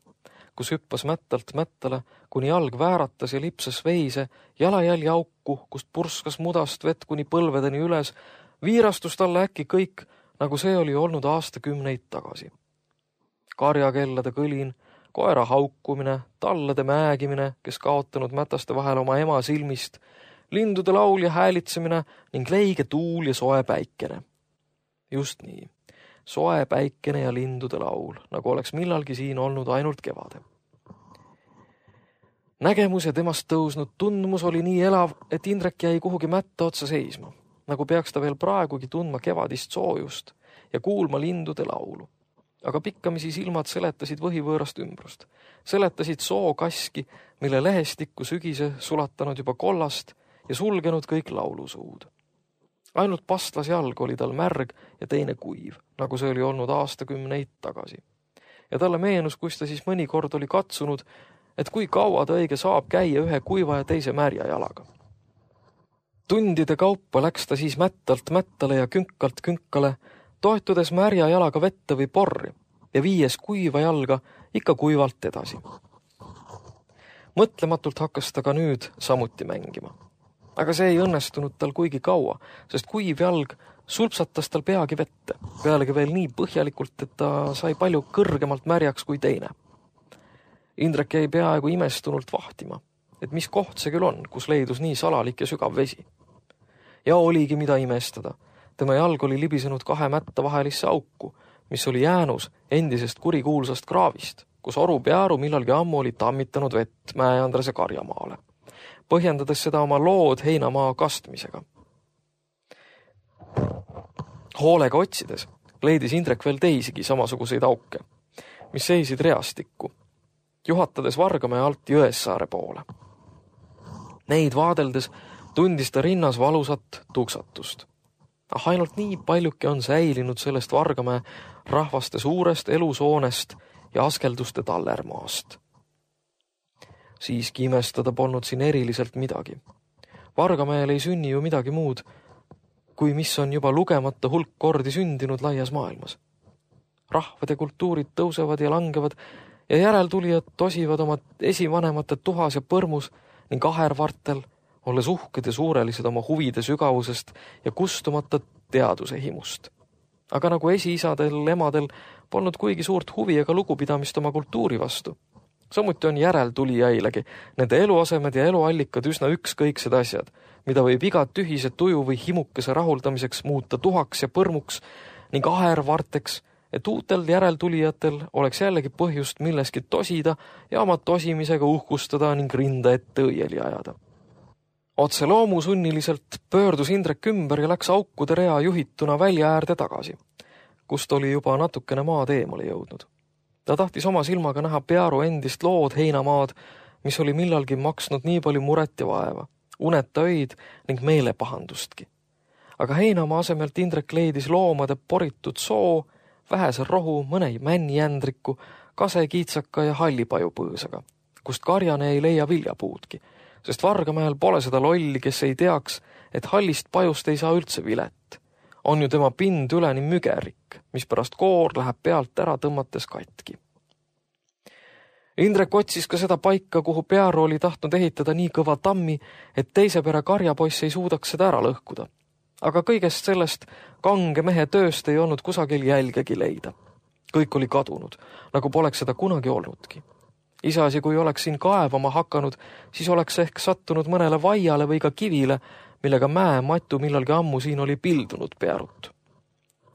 [SPEAKER 3] kus hüppas mättalt mättale, kuni jalg vääratas ja lipsas veise, jalajälje auku, kust purskas mudast vett kuni põlvedeni üles, viirastus talle äkki kõik, nagu see oli olnud aastakümneid tagasi. Karjakellade kõlin, koera haukumine, tallade määgimine, kes kaotanud mätaste vahel oma ema silmist, lindude laul ja häälitsemine ning leige tuul ja soe päikene. Just nii. Soe päikene ja lindude laul, nagu oleks millalgi siin olnud ainult kevade. Nägemus ja temast tõusnud tundmus oli nii elav, et Indrek jäi kuhugi mätta otsa seisma, nagu peaks ta veel praegugi tundma kevadist soojust ja kuulma lindude laulu. aga pikkamisi silmad seletasid võhivõõrast ümbrust. Seletasid sookaski, mille lehestikku sügise sulatanud juba kollast ja sulgenud kõik laulusuud. Ainult pastlas jalg oli tal märg ja teine kuiv, nagu see oli olnud aastakümneid tagasi. Ja talle meenus, kus ta siis mõnikord oli katsunud, et kui kaua ta õige saab käia ühe kuiva ja teise märja jalaga. Tundide kaupa läks ta siis mättalt mättale ja künkalt künkale, toetudes märja jalaga vette või porri ja viies kuiva jalga ikka kuivalt edasi. Mõtlematult hakkas ta ka nüüd samuti mängima. Aga see ei õnnestunud tal kuigi kaua, sest kuiv jalg sulpsatas tal peagi vette, pealegi veel nii põhjalikult, et ta sai palju kõrgemalt märjaks kui teine. Indrek jäi peaaegu imestunult vahtima, et mis koht see küll on, kus leidus nii salalik ja sügav vesi. Ja oligi mida imestada. Tema jalg oli libisenud 2 mätta vahelisse auku, mis oli jäänus endisest kurikuulsast kraavist, kus Oru Pearu millalgi ammu oli tammitanud vett Mäe-Andrase karjamaale, põhjendades seda oma lood heinamaa kastmisega. Hoolega otsides leidis Indrek veel teisigi samasuguseid auke, mis seisid reastikku, juhatades Vargamäe alt Jõessaare poole. Neid vaadeldes tundis ta rinnas valusat tuksatust. Ainult nii paljuke on säilinud sellest Vargamäe rahvaste suurest elusoonest ja askelduste tallermaast. Siiski imestada polnud siin eriliselt midagi. Vargamäel ei sünni ju midagi muud, kui mis on juba lugemata hulk kordi sündinud laias maailmas. Rahvad ja kultuurid tõusevad ja langevad ja järeltulijad tosivad oma esivanemate tuhas ja põrmus ning ahervartel, olles uhked ja suurelised oma huvide sügavusest ja kustumata teaduse himust. Aga nagu esiisadel, emadel polnud kuigi suurt huvi ega lugupidamist oma kultuuri vastu. Samuti on järeltulijailegi nende eluasemed ja eluallikad üsna ükskõiksed asjad, mida võib iga tühise tuju või himukese rahuldamiseks muuta tuhaks ja põrmuks ning ahervarteks, et uutel järeltulijatel oleks jällegi põhjust milleski tosida ja oma tosimisega uhkustada ning rinda ette õieli ajada. Otse loomusunniliselt pöördus Indrek ümber ja läks aukude rea juhituna välja äärde tagasi, kust oli juba natukene maad eemale jõudnud. Ta tahtis oma silmaga näha Pearu endist lood heinamaad, mis oli millalgi maksnud nii palju muret ja vaeva, uneta öid ning meelepahandustki. Aga heinamaa asemelt Indrek leidis loomade poritud soo, vähese rohu, mõne männijändriku, kasekiitsaka ja hallipaju põõsaga, kust karjane ei leia viljapuudki, sest Vargamäel pole seda lolli, kes ei teaks, et hallist pajust ei saa üldse vilet. On ju tema pind üleni mügerik, mis pärast koor läheb pealt ära tõmmates katki. Indrek otsis ka seda paika, kuhu Pearu oli tahtnud ehitada nii kõva tammi, et teise pere karjapoiss ei suudaks seda ära lõhkuda. Aga kõigest sellest kange mehe tööst ei olnud kusagil jälgegi leida. Kõik oli kadunud, nagu poleks seda kunagi olnudki. Iseasi, kui oleks siin kaevama hakanud, siis oleks ehk sattunud mõnele vaiale või ka kivile, millega mäe matu millalgi ammu siin oli pildunud Pearut.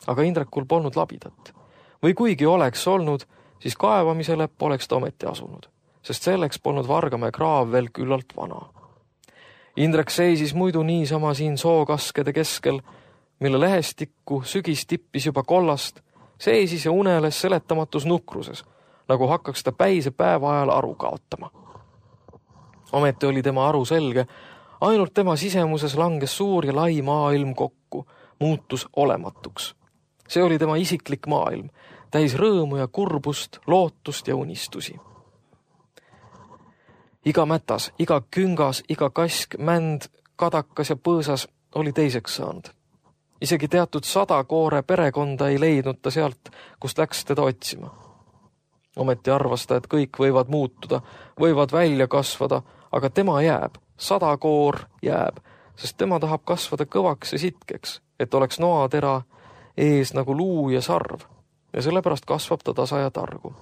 [SPEAKER 3] Aga Indrekul polnud labidat. Või kuigi oleks olnud, siis kaevamisele poleks ta ometi asunud, sest selleks polnud Vargamäe kraav veel küllalt vana. Indrek seisis muidu niisama siin sookaskede keskel, mille lehestikku sügis tippis juba kollast, seisis ja uneles seletamatus nukruses, nagu hakkaks ta päise päeva ajal aru kaotama. Ometi oli tema aru selge, ainult tema sisemuses langes suur ja lai maailm kokku, muutus olematuks. See oli tema isiklik maailm, täis rõõmu ja kurbust, lootust ja unistusi. Iga mätas, iga küngas, iga kask, mänd, kadakas ja põõsas oli teiseks saanud. Isegi teatud 100 koore perekonda ei leidnud ta sealt, kust läks teda otsima. Ometi arvas ta, et kõik võivad muutuda, võivad välja kasvada, aga tema jääb, 100 koor jääb, sest tema tahab kasvada kõvaks ja sitkeks, et oleks noatera ees nagu luu ja sarv, ja sellepärast kasvab ta tasa ja targu.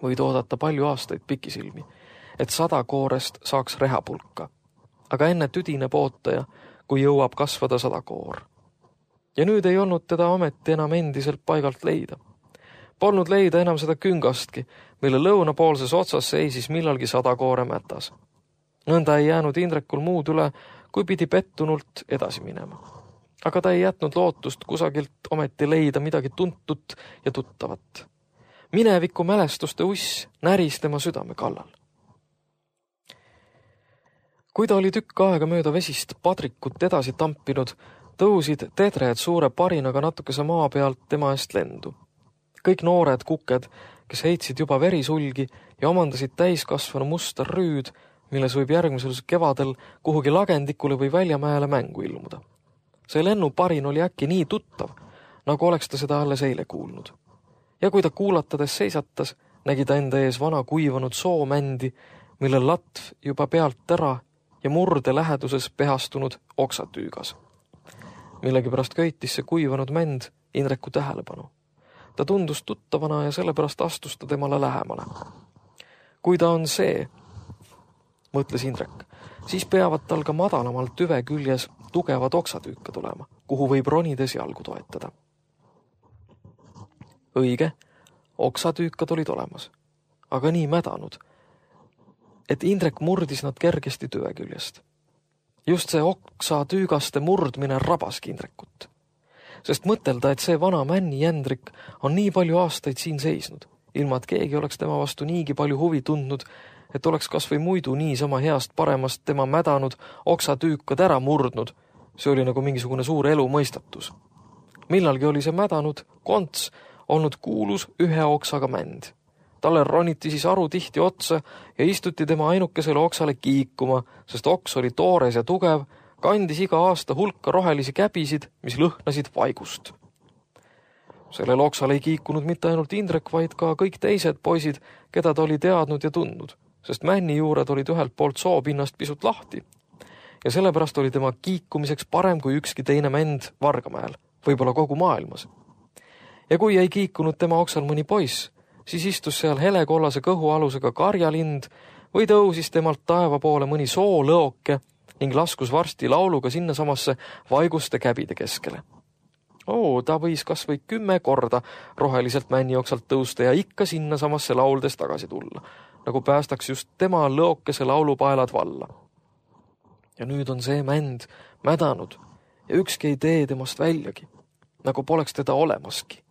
[SPEAKER 3] Võid oodata palju aastaid pikisilmi, et 100 koorest saaks rehapulka, aga enne tüdine pootaja, kui jõuab kasvada 100 koor. Ja nüüd ei olnud teda ometi enam endiselt paigalt leida. Polnud leida enam seda küngastki, mille lõunapoolses otsas seisis millalgi 100 koore mätas. Nõnda ei jäänud Indrekul muud üle, kui pidi pettunult edasi minema. aga ta ei jätnud lootust kusagilt ometi leida midagi tuntut ja tuttavat. Mineviku mälestuste uss näris tema südame kallal. Kui ta oli tükk aega mööda vesist padrikut edasi tampinud, tõusid tedred suure parinaga natukese maa pealt tema eest lendu. Kõik noored kuked, kes heitsid juba verisulgi ja omandasid täiskasvanu musta rüüd, milles võib järgmisel kevadel kuhugi lagendikule või väljamäele mängu ilmuda. See lennuparin oli äkki nii tuttav, nagu oleks ta seda alles eile kuulnud. Ja kui ta kuulatades seisatas, nägi ta enda ees vana kuivanud soomändi, mille latv juba pealt ära ja murde läheduses pehastunud oksatüügas. Millegipärast köitis see kuivanud mänd Indreku tähelepanu. Ta tundus tuttavana ja sellepärast astus ta temale lähemale. Kui ta on see, mõtles Indrek, siis peavad tal ka madalamalt tüve küljes tugevad oksatüüka tulema, kuhu võib ronides jalgu toetada. Õige, oksatüükad olid olemas, aga nii mädanud, et Indrek murdis nad kergesti tüve küljest. Just see oksatüügaste murdmine rabaski Indrekut, sest mõtelda, et see vana männi jändrik on nii palju aastaid siin seisnud, ilma et keegi oleks tema vastu niigi palju huvi tundnud, et oleks kas või muidu niisama heast paremast tema mädanud oksatüükad ära murdnud. See oli nagu mingisugune suur elu mõistatus. Millalgi oli see mädanud konts olnud kuulus ühe oksaga mänd. Talle roniti siis aru tihti otsa ja istuti tema ainukesele oksale kiikuma, sest oks oli toores ja tugev, kandis iga aasta hulka rohelisi käbisid, mis lõhnasid vaigust. Sellel oksal ei kiikunud mitte ainult Indrek, vaid ka kõik teised poisid, keda ta oli teadnud ja tundnud, sest männi juured olid ühelt poolt soopinnast pisut lahti. Ja sellepärast oli tema kiikumiseks parem kui ükski teine mänd Vargamäel, võib-olla kogu maailmas. Ja kui ei kiikunud tema oksal mõni poiss, siis istus seal helekollase kõhualusega karjalind või tõusis temalt taeva poole mõni soolõoke ning laskus varsti lauluga sinnasamasse vaiguste käbide keskele. Ta võis kas või 10 korda roheliselt männioksalt tõusta ja ikka sinnasamasse lauldes tagasi tulla, nagu päästaks just tema lõokese laulupaelad valla. Ja nüüd on see mänd mädanud ja ükski ei tee temast väljagi, nagu poleks teda olemaski.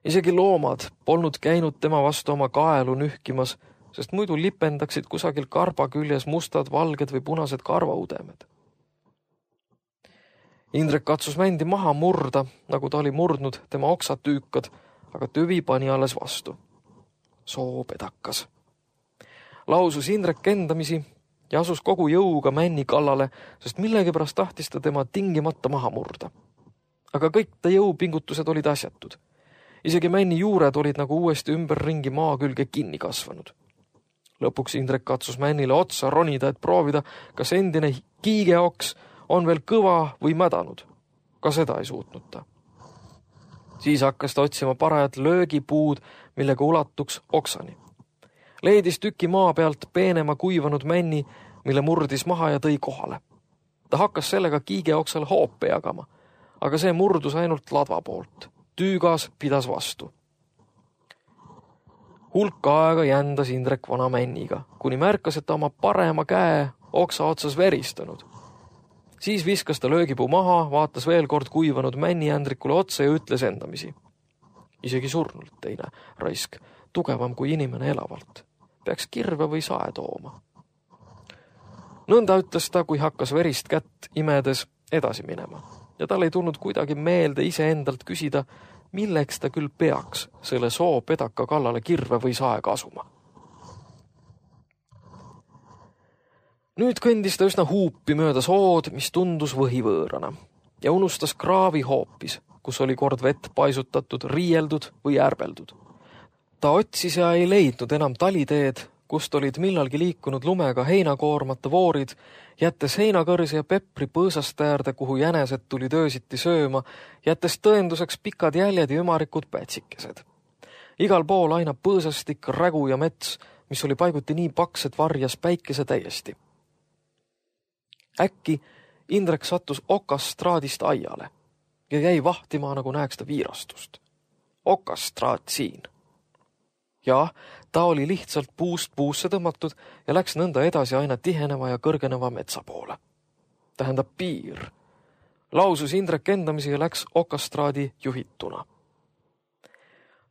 [SPEAKER 3] Isegi loomad polnud käinud tema vastu oma kaelu nühkimas, sest muidu lipendaksid kusagil karba küljes mustad, valged või punased karvaudemed. Indrek katsus mändi maha murda, nagu ta oli murdnud tema oksatüükad, aga tüvi pani alles vastu. Soopedakas. Lausus Indrek endamisi ja asus kogu jõuga männi kallale, sest millegipärast tahtis ta tema tingimata maha murda. Aga kõik ta jõupingutused olid asjatud. Isegi männi juured olid nagu uuesti ümberringi maa külge kinni kasvanud. Lõpuks Indrek katsus männile otsa ronida, et proovida, kas endine kiigeoks on veel kõva või mädanud. Ka seda ei suutnud ta. Siis hakkas ta otsima parajat löögipuud, millega ulatuks oksani. Leidis tüki maa pealt peenema kuivanud männi, mille murdis maha ja tõi kohale. Ta hakkas sellega kiigeoksal hoope jagama, aga see murdus ainult ladva poolt. Tüügas pidas vastu. Hulka aega jändas Indrek vana männiga, kuni märkas, et ta oma parema käe oksa otsas veristanud. Siis viskas ta löögipuu maha, vaatas veel kord kuivanud männi Jändrikule otsa ja ütles endamisi. Isegi surnult teine raisk, tugevam kui inimene elavalt. Peaks kirve või sae tooma. Nõnda ütles ta, kui hakkas verist kätt imedes edasi minema. Ja tal ei tulnud kuidagi meelde iseendalt küsida, milleks ta küll peaks selle soopedaka kallale kirve või sae kasuma. Nüüd kõndis ta üsna huupi mööda sood, mis tundus võhivõõrana, ja unustas kraavi hoopis, kus oli kord vett paisutatud, riieldud või ärbeldud. Ta otsis ja ei leidnud enam taliteed, kust olid millalgi liikunud lumega heinakoormata voorid, jättes heinakõrsi ja pepri põõsast äärde, kuhu jänesed tulid öösiti sööma, jättes tõenduseks pikad jäljed ja ümarikud pätsikesed. Igal pool aina põõsastik, rägu ja mets, mis oli paiguti nii paks, et varjas päikese täiesti. Äkki Indrek sattus okastraadist aiale ja jäi vahtima, nagu näeks ta viirastust. Okastraat siin. Ja ta oli lihtsalt puust puusse tõmmatud ja läks nõnda edasi aina tiheneva ja kõrgeneva metsa poole. Tähendab piir. lausus Indrek endamisi ja läks okastraadi juhituna.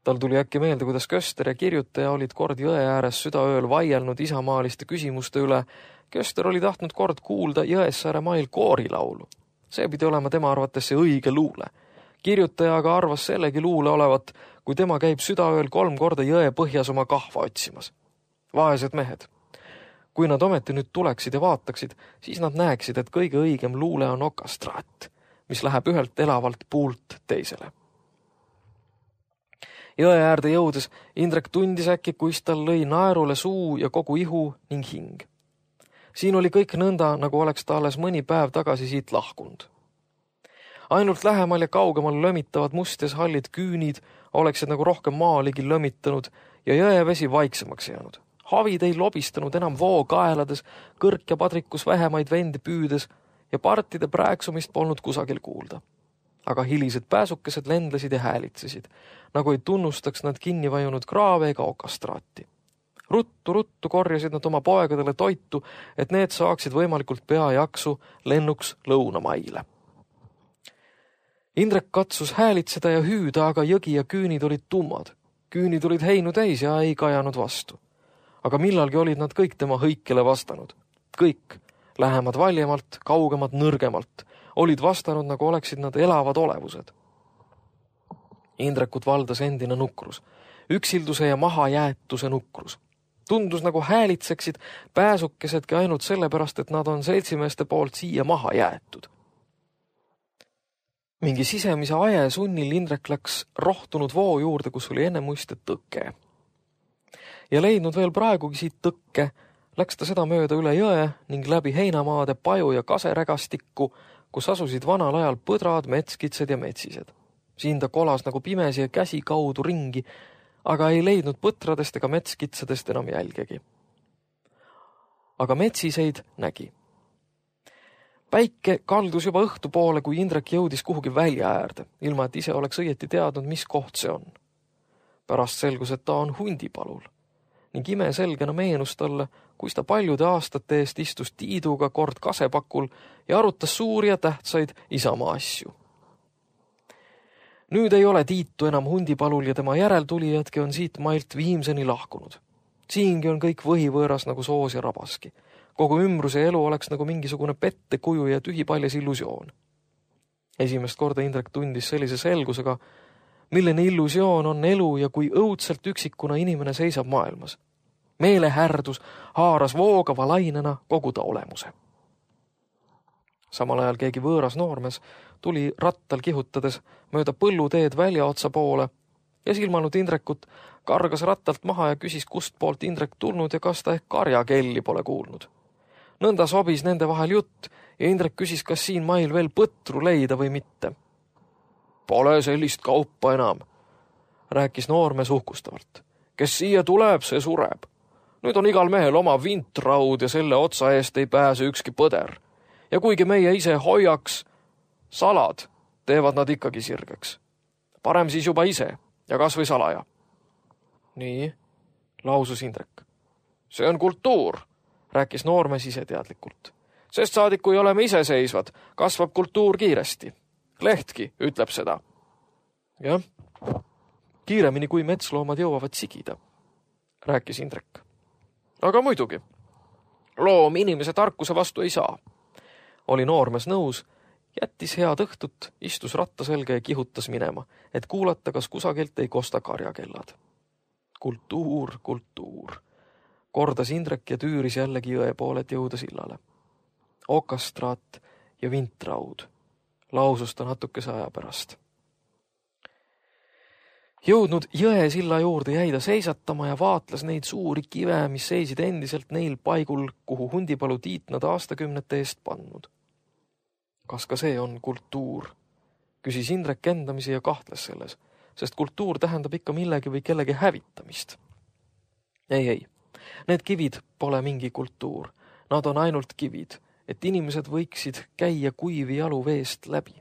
[SPEAKER 3] Tal tuli äkki meelde, kuidas Köster ja kirjutaja olid kord jõe ääres südaööl vaielnud isamaaliste küsimuste üle. Köster oli tahtnud kord kuulda Jõessaare mail koorilaulu. See pidi olema tema arvates see õige luule. Kirjutaja aga arvas sellegi luule olevat, kui tema käib südaööl 3 korda jõe põhjas oma kahva otsimas. Vaesed mehed. Kui nad ometi nüüd tuleksid ja vaataksid, siis nad näeksid, et kõige õigem luule on okastraat, mis läheb ühelt elavalt puult teisele. Jõe äärde jõudes Indrek tundis äkki, kuis tal lõi naerule suu ja kogu ihu ning hing. Siin oli kõik nõnda, nagu oleks ta alles mõni päev tagasi siit lahkunud. Ainult lähemal ja kaugemal lömitavad mustes hallid küünid oleksid nagu rohkem maaligi lömitanud ja jõevesi vaiksemaks jäänud. Havid ei lobistanud enam voo kaelades, kõrk ja padrikus vähemaid vendi püüdes ja partide prääksumist polnud kusagil kuulda. Aga hilised pääsukesed lendlesid ja häälitsesid, nagu ei tunnustaks nad kinni vajunud kraave ega okastraati. Ruttu korjasid nad oma poegadele toitu, et need saaksid võimalikult pea jaksu lennuks lõunamaile. Indrek katsus häälitseda ja hüüda, aga jõgi ja küünid olid tummad. Küünid olid heinu täis ja ei kajanud vastu. Aga millalgi olid nad kõik tema hõikele vastanud. Kõik, lähemad valjemalt, kaugemad nõrgemalt, olid vastanud, nagu oleksid nad elavad olevused. Indrekut valdas endine nukrus, üksilduse ja mahajäetuse nukrus. Tundus, nagu häälitseksid pääsukesedki ainult sellepärast, et nad on seltsimeeste poolt siia maha jäetud. Mingi sisemise aje sunnil Indrek läks rohtunud voo juurde, kus oli enne muiste tõke. Ja leidnud veel praegugi siit tõkke, läks ta seda mööda üle jõe ning läbi heinamaade paju ja kaserägastikku, kus asusid vanal ajal põdrad, metskitsed ja metsised. Siin ta kolas nagu pimesi ja käsi kaudu ringi, aga ei leidnud põtradest ega metskitsadest enam jälgegi. Aga metsiseid nägi. Päike kaldus juba õhtu poole, kui Indrek jõudis kuhugi välja äärde, ilma et ise oleks õieti teadnud, mis koht see on. Pärast selgus, et ta on hundipalul ning imeselgena meenus talle, kus ta paljude aastate eest istus Tiiduga kord kasepakul ja arutas suuri ja tähtsaid isamaa asju. Nüüd ei ole Tiitu enam hundipalul ja tema järeltulijadki on siit mailt viimseni lahkunud. Siingi on kõik võhivõõras nagu soos ja rabaski. Kogu ümbruse elu oleks nagu mingisugune pettekuju ja tühipaljas illusioon. Esimest korda Indrek tundis sellise selgusega, milline illusioon on elu ja kui õudselt üksikuna inimene seisab maailmas. Meelehärdus haaras voogava lainena kogu ta olemuse. Samal ajal keegi võõras noormes tuli rattal kihutades mööda põlluteed väljaotsa poole ja silmanud Indrekut kargas rattalt maha ja küsis, kust poolt Indrek tulnud ja kas ta ehk karjakelli pole kuulnud. Nõnda sobis nende vahel jutt ja Indrek küsis, kas siin mail veel põtru leida või mitte. Pole sellist kaupa enam, rääkis noormees uhkustavalt. Kes siia tuleb, see sureb. Nüüd on igal mehel oma vintraud ja selle otsa eest ei pääse ükski põder. Ja kuigi meie ise hoiaks salad, teevad nad ikkagi sirgeks. Parem siis juba ise ja kas või salaja. Nii, lausus Indrek. See on kultuur, rääkis noormees ise teadlikult. Sest saadik, kui oleme iseseisvad, kasvab kultuur kiiresti. Lehtki ütleb seda. Jah, kiiremini kui metsloomad jõuavad sigida, rääkis Indrek. Aga muidugi, loom inimese tarkuse vastu ei saa. Oli noormees nõus, jättis head õhtut, istus ratta selga ja kihutas minema, et kuulata, kas kusagilt ei kosta karjakellad. Kultuur, kordas Indrek ja tüüris jällegi jõe poole, et jõuda sillale. Okastraat ja vintraud, lausus ta natukese aja pärast. Jõudnud jõe silla juurde jäi ta seisatama ja vaatles neid suuri kive, mis seisid endiselt neil paigul, kuhu hundipalu Tiit nad aastakümnete eest pannud. Kas ka see on kultuur? Küsis Indrek endamisi ja kahtles selles, sest kultuur tähendab ikka millegi või kellegi hävitamist. Ei, need kivid pole mingi kultuur, nad on ainult kivid, et inimesed võiksid käia kuivi jalu veest läbi.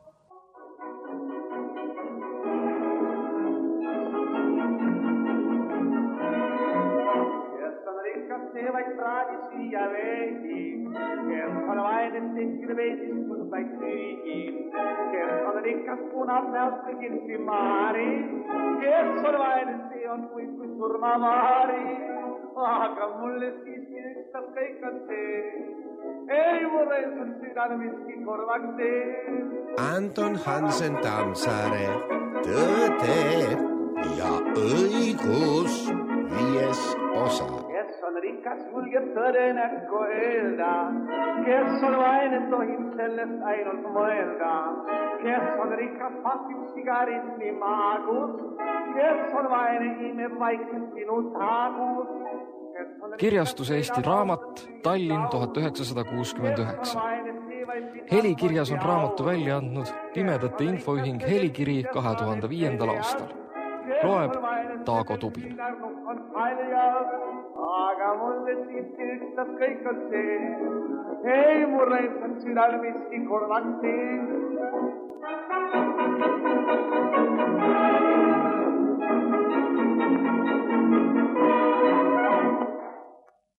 [SPEAKER 1] stikkende veisistus vaid tüügi. Kes on rikas punab näost kõigil Simari, kes on vaene, see on kui surmavaari. Aga mulle siiski ükstas kõik on see, ei mure sul südame miski korvaks tee.
[SPEAKER 2] Anton Hansen Tammsaare, Tõde ja õigus, 5. osa.
[SPEAKER 1] Kes on rikas, julgeb tõde näkku öelda, kes on vaene, tohib sellest ainult mõelda. Kes on rikas, pakib sigaritni maagus, kes on vaene, imeb vaikselt sinu taagus.
[SPEAKER 3] Kirjastus Eesti Raamat, Tallinn 1969. Helikirjas on raamatu välja andnud Pimedate Infoühing Helikiri 2005. aastal. Loeb Taago Tubin.
[SPEAKER 1] Aga mulle siiski ükstas kõik on see, ei murre, et on südal miski korvaks tee.